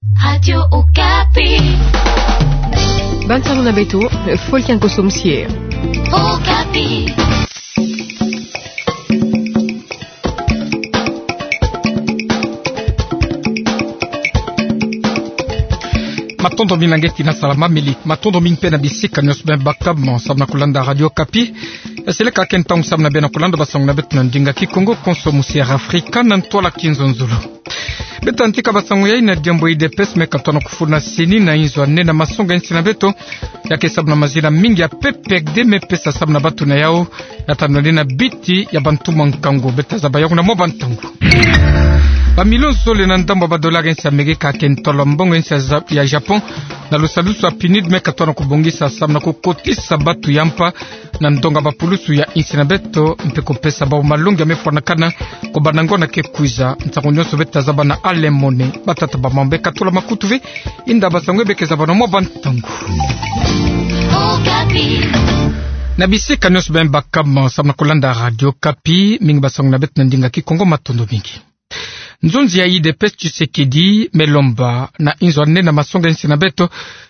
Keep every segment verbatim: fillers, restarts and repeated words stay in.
Radio Okapi. Bantu na beto, fo kian koso musie. Okapi. Matondo mingi na nge tina salama mili. Matondo mingi mpe na bisika nyonso beno bakama samu na kulanda Radio Okapi. Eseleka ke ntangu samu na beno kulanda basango na beto na ndinga Kikongo konso musie Afrika na ntwala Kinzonzolo. Beta ntika basango yai na diambu ya U D P S me katona kufuna CENI na inzo ya nne na masonga insi na beto. Ya ke samu na mazina mingi ya P P R D me pesa samu na bantu na yau ya ta nwanina biti ya bantumwa nkangu. Beta zaba yau na mwa bantangu. Ba millions zole na ndambu ya ba dollars insi ya Amerika ke ntolo mbongo insi ya Za-, ya Japon na lusalusu ya PNUD me katona kubongisa samu na kukotisa bantu ya mpa na ndonga ba pulusu ya insi na beto, mpe kupesa bau malongi ya me fwanakana, kubanda ngonda ke kwiza. Nsangu nyonso beta zaba na Alain Mone. Batata ba mambe katula makutu ve, inda basango be ke zaba na mwa bantangu. Na bisika nyonso beno bakama samu na kulanda Radio Okapi, mingi basango na beto na ndinga Kikongo, matondo mingi. Nzonzi ya U D P S Tshisekedi me lomba na inzo ya nne na masonga insi na beto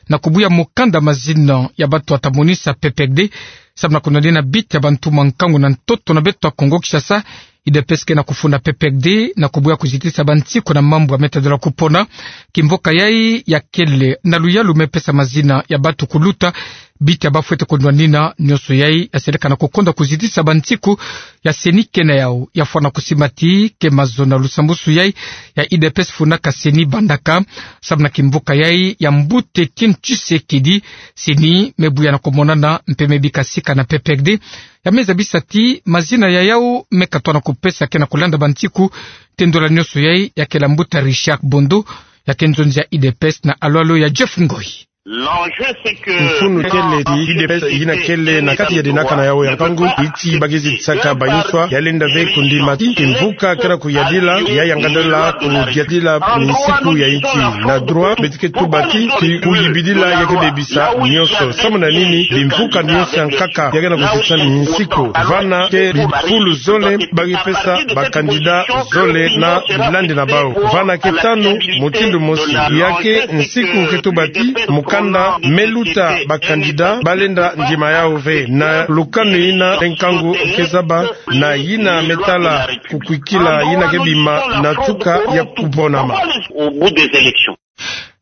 na kubuya mukanda mazina ya bantu ya ta monisa P P R D samu na kunwanina biti ya bantumwa nkangu na ntoto na beto ya Kongo Kinshasa. U D P S ke na kufuna P P R D na kubuya kuzitisa bansiku na mambu ya me ta dola kupona. Kimvuka yai ya kele na luyalu me pesa mazina ya bantu kuluta biti ya ba fwete kunwanina. Nyonso yai ya seleka na kukonda kuzitisa bansiku ya CENI ke na yau. Ya fwana kusimba ti ke mazono ya lusambusu yai ya U D P S funaka CENI bandaka. Samu na kimvuka yai ya mbuta Etienne Tshisekedi, CENI me buya na kumonana mpe me bika sika na P P R D. Ya me zabisa ti mazina ya yau me katona kupesa ke na kulanda bansiku. Te ndola nyonso yai ya kele ya mbuta Richard Bondo, ya ke nzonzi ya U D P S na alwalo ya Jeff Ngoi. Mfunu kele ti U D P S yina kele na kati ya dinaka na yau ya nkangu, iti ba ke zitisaka bainswa, ya lenda ve kundima ti kimvuka ke na kuyadila, ya yangadala kuyadila minsiku ya insi. Na droit, beto ke tuba ti, ki kuyibidila ya ke bebisa nyonso. Samu na nini? Bimvuka nyonso ya nkaka ya ke na kuzitisa minsiku. Vana ke bifulu zole ba ke pesa ba candidat zole na bilandi na bau. Vana ke tanu mutindu mosi. Ya ke nsiku ke tuba ti mukanda me luta ba candidat ba lenda ndima yau ve. Na lukanu yina nkangu ke zaba na yina me tala kukwikila yina ke bima na tuka ya kuponama.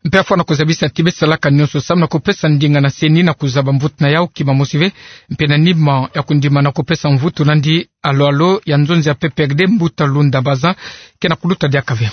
Mpe ya fwana kuzabisa ti be salaka nyonso samu na kupesa ndinga na CENI na kuzaba mvutu na yau kima mosi ve, mpe na nima ya kundima na kupesa mvutu nandi, alwalo ya nzonzi ya P P R D mbuta Lunda Bazan ke na kuluta diaka ve.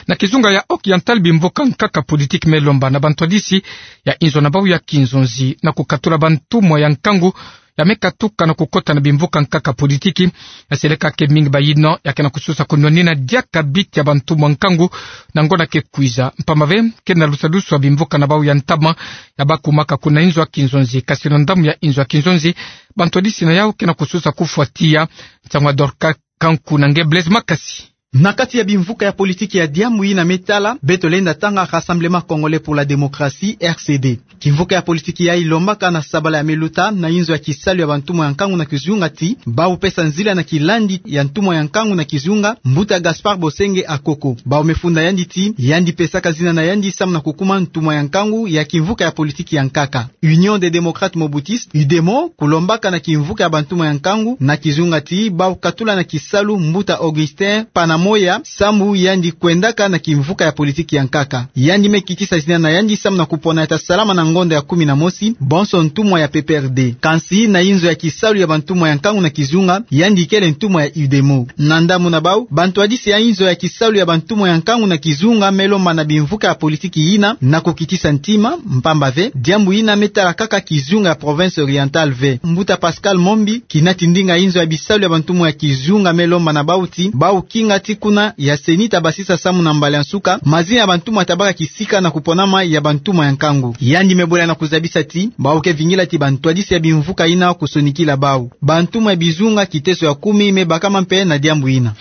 Na kizunga ya Occidental, bimvuka nkaka politiki me lomba na bantwadisi ya inzo na bau ya kinzonzi na kukatula bantumwa ya nkangu ya me katuka na kukota na bimvuka nkaka politiki. Ya seleka ke mingi bayina ya ke na kususa kunwanina diaka biti ya bantumwa nkangu na ngonda ke kwiza. Mpamba ve, ke na lusalusu ya bimvuka na bau ya ntama ya ba kumaka kuna inzo ya kinzonzi. Kasi na ndambu ya inzo ya kinzonzi, bantwadisi na yau ke na kususa kufwa tiya. Nsangu ya Dorcas Kanku na nge Blaise Makasi. Na kati ya bimvuka ya politiki ya diambu yina me tala, beto lenda tanga Rassemblement Congolais pour la Démocratie, R C D. Kimvuka ya politiki yai lombaka na sabala ya me luta na inzo ya kisalu ya bantumwa ya nkangu na kizunga ti bau pesa nzila na kilandi ya ntumwa ya nkangu na kizunga, mbuta Gaspard Bosenge Akoko. Bau me funda yandi ti yandi pesaka zina na yandi samu na kukuma ntumwa ya nkangu ya kimvuka ya politiki ya nkaka. Union des Démocrates Mobutistes, UDEMO, kulombaka na kimvuka ya bantumwa ya nkangu na kizunga ti bau katula na kisalu mbuta Augustin Panamoya samu yandi kwendaka na kimvuka ya politiki ya nkaka. Yandi me kitisa zina na yandi samu na kupona ya ta salama na ngonda ya kumi na mosi, bonso ntumwa ya P P R D. Kansi na inzo ya kisalu ya bantumwa ya nkangu na kizunga, yandi kele ntumwa ya UDEMO. Na ndambu na bau, bantwadisi ya inzo ya kisalu ya bantumwa ya nkangu na kizunga me lomba na bimvuka ya politiki yina na kukitisa ntima, mpamba ve, diambu yina me tala kaka kizunga ya province orientale ve. Mbuta Pascal Mombi, kinati ndinga inzo ya bisalu ya bantumwa ya kizunga, me lomba na bau ti bau kinga ti kuna ya CENI ta basisa samu na mbala ya nsuka mazina ya bantumwa ta baka kisika na kuponama ya bantumwa ya nkangu. Yandi me bola na kuzabisa ti bau ke vingila ti bantwadisi ya bimvuka yina kusonikila bau. Bantumwa ya bizunga kiteso ya kumi me bakama mpe na diambu yina.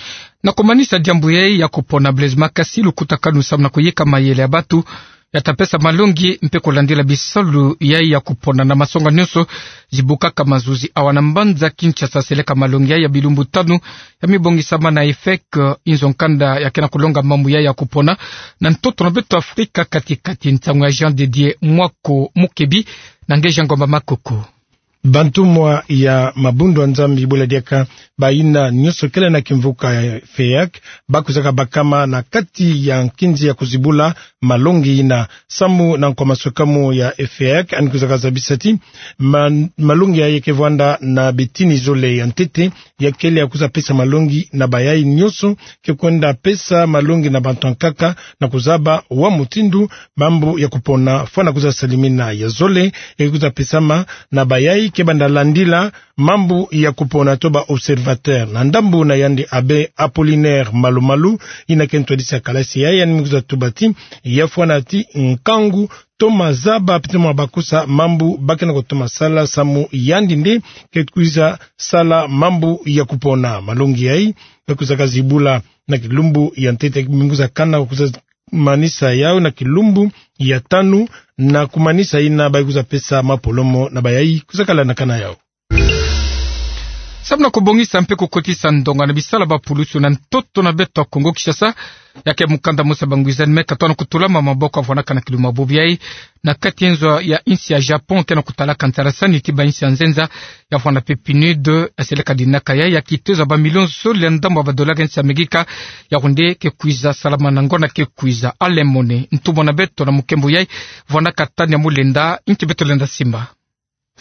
Na kumanisa diambu yai ya kupona, Blaise Makasi, lukutakanu samu na kuyeka mayele ya bantu ya ta pesa malongi mpe kulandila bisalu yai ya kupona na masonga nyonso zibukaka mazuzi awa na mbanza Kinshasa. Seleka malongi yai ya bilumbu tanu ya mibongisama na EFEC, inzo nkanda ya ke na kulonga mambu yai ya kupona na ntoto na beto Afrika kati-kati. Nsangu ya Jean de Dieu Mwako Mukebi na Ngeja Ngomba Makoko. Bantumwa ya mabundu ya Nzambi, bula diaka bayina nyonso kele na kimvuka ya EFEAC, ba kwizaka bakama na kati ya nkinzi ya kuzibula malongi yina. Samu na nkwa maswekamu ya EFEAC, yandi kwizaka zabisa ti ma-, malongi yai ke vwanda na bitini zole ya ntete, ya kele ya kwiza pesa malongi na bayai nyonso ke kwenda pesa malongi na bantu ya nkaka, na kuzaba wa mutindu mambu ya kupona fwana kwiza salimina. Ya zole ya ke kwiza pesama na bayai ke banda landila mambu ya kupona to ba observateur. Na ndambu na yandi, Abbé Apollinaire Malumalu, yina ke ntwadisi ya kalasi yai, yandi me kwiza tuba ti ya fwana ti nkangu toma zaba pete mwa bakusa mambu ba ke na kutoma sala, samu yandi nde ke kwiza sala mambu ya kupona. Malongi yai me kwizaka zibula na kilumbu ya ntete, me kwiza kana, kwiza manisa yau na kilumbu ya tanu, na kumanisa yina ba kwiza pesa mapolomo na bayai. Kwiza kala na kana yau. Samu na kubongisa mpe kukotisa ndonga na bisalu ya bapulusu na ntoto na beto ya Kongo Kinshasa, ya ke mukanda mosi ya bangwizani me katona kutulama maboko ya vwanaka na kilumbu ya bubu yai na kati ya nzo ya insi ya Japon ke na kutalaka nsalasani ti bainsi ya nzenza, ya vwanda mpe PNUD. Ya seleka dinaka yai ya kitezo ya bamilio zole ya ndambu ya badola ya insi ya Amerika, yau nde ke kwiza salama na ngonda ke kwiza. Alain Mone, ntumwa na beto na mukembo yai, vwanaka tani ya Mulenda, nki beto lenda simba.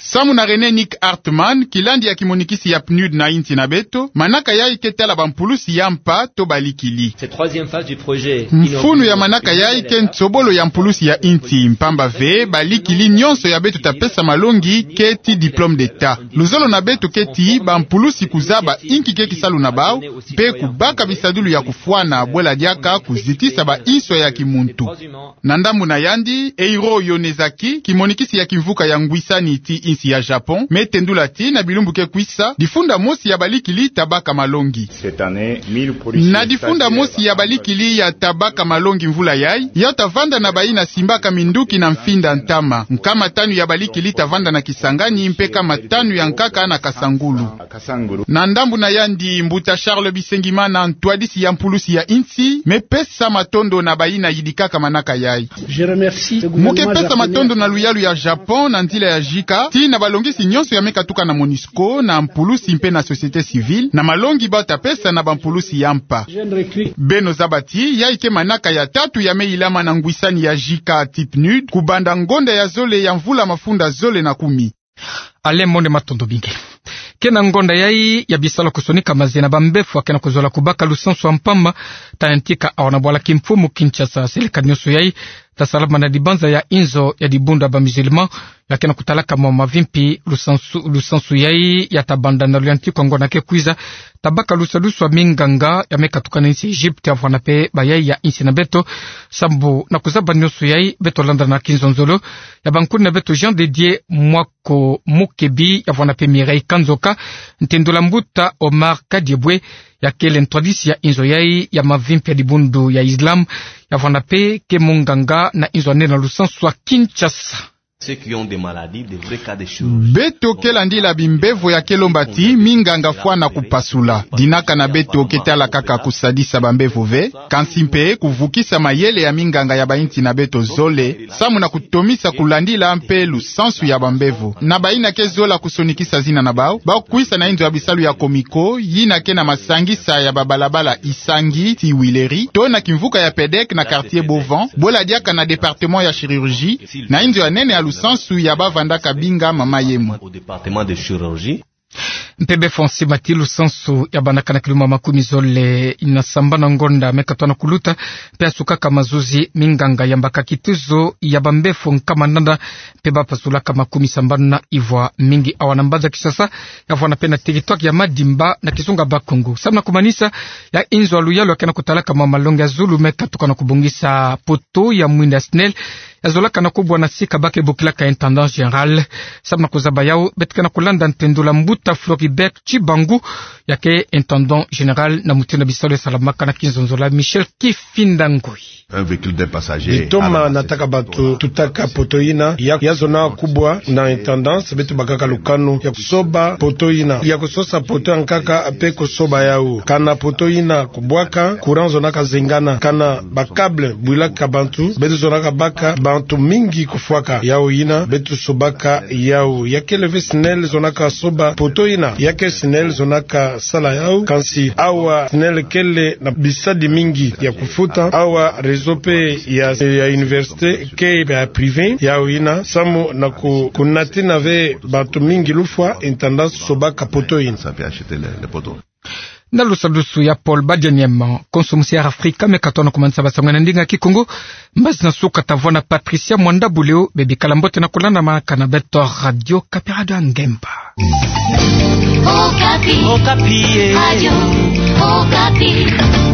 Samu na René Nick Hartmann, kilandi ya kimonikisi ya PNUD na insi na beto, manaka yai ke tala bampulusi ya mpa to balikili. Cette troisième phase du projet Mfunu ya manaka yai ke nsobolo ya mpulusi ya insi, mpamba ve balikili nyonso ya beto ta pesa malongi ke ti diplôme d'État. Luzolo na beto ke ti bampulusi kuzaba inki ke kisalu na bau, mpe kubaka bisadulu ya kufwana, bwela diaka kuzitisa bainswa ya kimuntu. Na ndambu na yandi, Eiro Yonezaki, kimonikisi ya kimvuka ya ngwisani ti insi ya Japon, me tendula ti na bilumbu ke kwisa, difunda mosi ya balikili ta baka malongi. Na difunda mosi ya balikili ya ta baka malongi mvula yai, ya ta vanda na bayina simbaka minduki na mfinda ntama. Nkama tanu ya balikili ta vanda na Kisangani, mpe nkama tanu ya nkaka na Kasangulu. Na ndambu na yandi, mbuta Charles Bisengimana, ntwadisi ya mpulusi ya insi, me pesa matondo na bayina yidikaka manaka yai. Mu ke pesa matondo na luyalu ya Japon na nzila ya JICA, ti na balongisi nyonso ya me katuka na MONUSCO, na mpulusi mpe na société civile, na malongi ba ta pesa na bampulusi ya mpa. Beno zaba ti yai ke manaka ya tatu ya me yilama na ngwisani ya JICA ti PNUD, kubanda ngonda ya zole ya mvula mafunda zole na kumi. Alain Mone, matondo mingi. Ke na ngonda yai ya bisalu ya kusonika maze na bambevo ya ke na kuzola kubaka lusansu ya mpamba, ta yantika awa na bwala kimfumu Kinshasa. Seleka nyonso yai ta salama na dibanza ya inzo ya dibundu ya ba musulman, ya ke na kutalaka mwa mavimpi. Lusansu, lusansu yai ya ta banda na luyantiku ya ngonda ke kwiza, ta baka lusadusu ya minganga ya me katuka na insi Egypte, ya vwanda mpe bayai ya insi na beto. Samu na kuzaba nyonso yai, beto landa na kinzonzolo ya bankuni na beto Jean de Dieu Mwako Mukebi, ya vwanda mpe Mireille Kanzoka, ntendula mbuta Omar Kadiebwe, ya kele ntwadisi ya inzo yai ya mavimpi ya dibundu ya Islam, ya vwanda mpe ke munganga na inzo ya nene na lusansu ya Kinshasa. Ceux qui ont des maladies, des vrais cas de chirurgie. Beto ke landila bimbevo ya ke lomba ti minganga fwana kupasula. Dinaka na beto ke tala kaka kusadisa bambevo ve, kansi mpe kuvukisa mayele ya minganga ya bainsi na beto zole, samu na kutomisa kulandila mpe lusansu ya bambevo. Na bayina ke zola kusonikisa zina na bau, ba kwisa na inzo ya bisalu ya Comico, yina ke na masangisa ya babalabala Issangui tii Huilerie, to na kimvuka ya PEDEC na quartier Beau Vent, bwela diaka na département ya chirurgie, na inzo ya nene ya lusansu ya ba vandaka binga mama Yemo. Au département de chirurgie. Mpe befo nsima ti lusansu ya bandaka na kilumbu makumi zole na sambanu ya ngonda me katoa na kuluta, mpe ya sukaka mazuzi, minganga yambaka kituzo ya bambefo nkama nana, mpe ba pasulaka makumi sambanu na ivwa, mingi awa na mbanza Kinshasa, ya vwanda mpe na territoire ya Madimba na kizunga Bas-Congo. Samu na kumanisa, ya inzo ya luyalu ya ke na kutalaka mwa malongi ya zulu me katuka na kubongisa poteau ya mwinda ya SNEL, ya zolaka na kubwa na sika ba ke bokilaka intendant général. Samu na kuzaba yau, beto ke na kulanda ntendula mbuta Floribert Tshibangu, Ya ke intendant général na mutindu na bisalu salamaka na kinzonzolo, Michel Kifinda Ngoi. Bitoma nataka bantu tutaka poteau ina, ya, ya zona kubwa na intendance, beto bakaka lukanu ya kusoba poteau ina, ya kusosa poteau ya nkaka pe kusoba yau. Kana poteau ina kubwaka, courant zonaka zengana. Kana ba câble bwilaka bantu, beto zonaka baka, bantu mingi kufwaka. Yau ina, beto sobaka yau. Ya kele ve SNEL zonaka soba poteau ina. Ya ke SNEL zonaka sala yau, kansi awa SNEL kele na bisadi mingi ya kufuta. Awa réseau pe ya, ya université ke ya privé. Yau ina, samu na ku, kunatina ve bantu mingi lufwa, intendance sobaka poteau ina. Na lusadusu ya Paul Badianyama, konso musi Air Africa, me katona kumanisa basangwa na ndinga Kikongo. Mbazi na suka tavwanda Patricia Mwanda Buleo, bebikala mbote na kulanda makana beto Radio Kapi, Radio ya Ngemba. Okapi. Okapi, eh. Radio Okapi.